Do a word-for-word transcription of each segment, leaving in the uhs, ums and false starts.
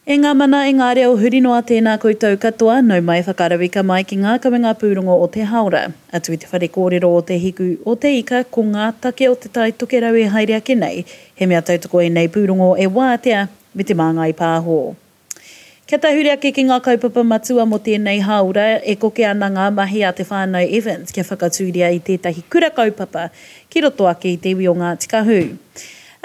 E ngā mana e ngā reo huri noa tēnā koutou katoa, nau mai whakarauika mai ki ngā kawenga pūrongo o te hāora. Atu i te whare kōrero o Te Hiku o Te Ika, ko ngā take o Te Tai Tokerau e haere ake nei, he mea tautoko ēnei pūrongo e Wātea me Te Māngai Pāho. Kia tahuri ake ki ngā kaupapa matua mō tēnei hāora, e koke ana ngā mahi a te whānau Evans kia whakatūria i tētahi kura kaupapa ki roto ake i te iwi o Ngāti Kahu.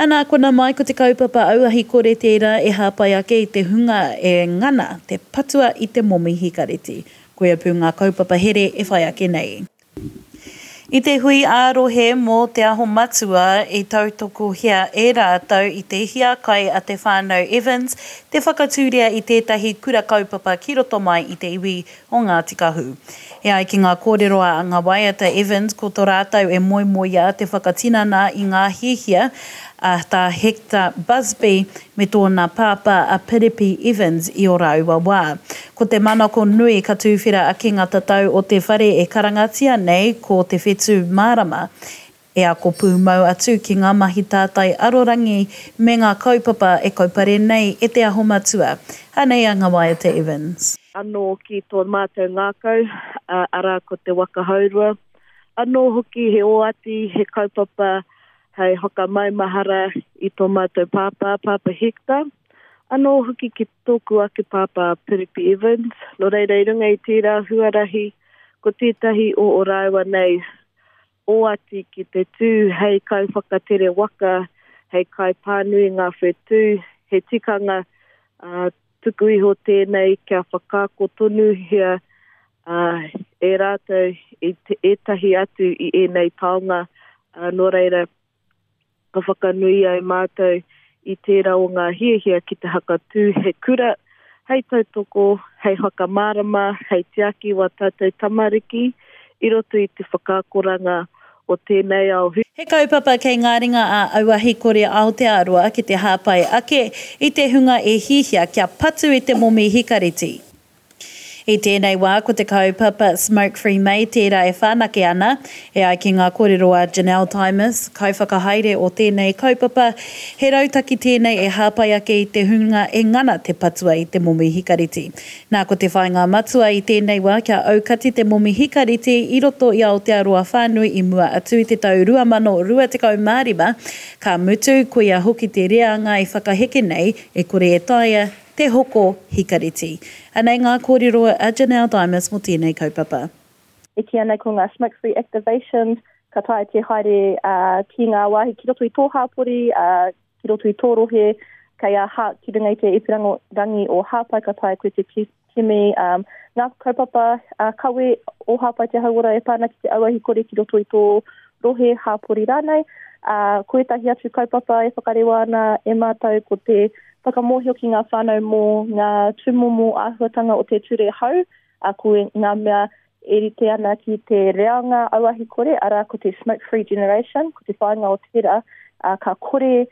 Ana, kona mai ko te kaupapa auahi kore tērā e hāpai ake i te hunga e ngana te patua i te momi hikareti. Koia pū ngā kaupapa here e whai ake nei. I te hui ā-rohe mō Te Aho Matua i tautokohia e rātou i te hiakai a te whānau Evans te whakatūria i tētahi kura kaupapa ki roto mai i te iwi o Ngāti Kahu. E ai ki ngā kōrero a Ngawaiata Evans ko tō rātou e moemoeā te whakatinana i ngā hiahia a tā Hector Busby me tōna pāpā a Piripi Evans i ō rāua wā. Ko te manako nui ka tūwhera ake ngā tatau o te whare e karangatia nei ko Te Whetū Mārama, e ako pūmau atu ki ngā mahi tātai arorangi me ngā kaupapa e kaupare nei e Te Aho Matua. Anei a Ngawaiata Evans. Anō ki tō mātou ngākau, arā ko te waka hourua. Anō hoki he oati, he kaupapa hei whakamaumahara i tō mātou pāpā, Pāpā Hector. Anō hoki ki tōku ake pāpā, Piripi Evans. Nō reira i runga i tērā huarahi, ko tētahi o o rāua nei oati ki te tū hei kaiwhakatere waka, hei kaipānui ngā whetū, he tikanga uh, tuku iho tēnei kia whakaako tonuhia uh, e rātou i te, ētahi atu i ēnei taonga. Uh, nō reira, ka whakanui ai mātou i tērā o ngā hiahia ki te hakatū he kura, hei tautoko, hei whakamārama, hei tiaki wā tātou tamariki i roto i te whakaakoranga o tēnei ao. He kaupapa kei ngā ringa a Auahi Kore Aotearoa ki te hāpai ake i te hunga e hihia kia patu i te momi hikareti. I tēnei wā ko te kaupapa Smoke Free May tērā e whanake ana, e ai ki ngā kōrero a Janelle Timus, kaiwhakahaere o tēnei kaupapa, he rautaki tēnei e hāpai ake i te hunga e ngana te patua i te momi hikareti. Nā ko te whāinga matua i tēnei wā kia aukati te momi hikareti i roto i Aotearoa whānui i mua atu i te tau rua mano rua tekau mā rima, ka mutu koia hoki te reanga i whakaheke nei e kore e taea te hoko hikareti. Anei ngā kōrero a Janelle Dimas mō tēnei kaupapa. E kī ana ko ngā smoke free activations, ka taea te haere uh, ki ngā wāhi ki roto i tō hāpori, uh, ki roto i tō rohe, kei a ha, ki runga i te ipurangi o Hāpai ka taea koe te kimi um, ngā kaupapa uh, kawe o Hāpai te hauora e pā ana ki te auahi kore ki roto i tō rohe hāpori rānei. Uh, ko ētahi atu kaupapa e whakarewa ana e mātou ko te whakamōhio ki ngā whānau mō ngā tūmomo āhuatanga o te ture hau, uh, ko ngā mea e rite ana ki te reanga auahi kore, arā ko te smoke free generation, ko te whāinga o tērā, uh, ka kore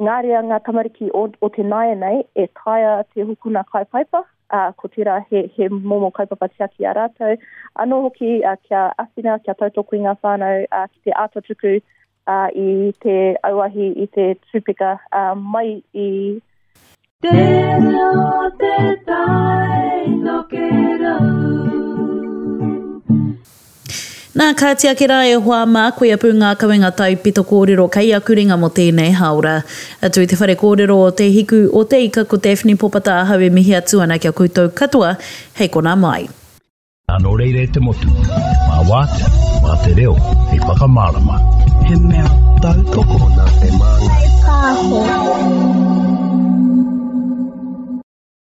ngā reanga tamariki o, o te nāianei e taea te hokona kai paipa, uh, ko tērā he, he momo kaupapa tiaki a rātou. Anō hoki uh, kia awhina, kia tautoko i ngā whānau uh, ki te āta tuku uh, i te auahi, i te tūpeka uh, mai i Te reo te tai tokerau. Nā, kāti ake rā e hoa mā, koia pū ngā kawenga taupito kōrero kei aku ringa mō tēnei hāora. Atu i te whare kōrero o Te Hiku o Te Ika ko Daphne Popata ahau e mihi atu ana kia koutou katoa, hei kona mai. Nō reira e te motu, mā wātea, mā te reo, hei whakamārama. He mea tautoko nā Te Māngai.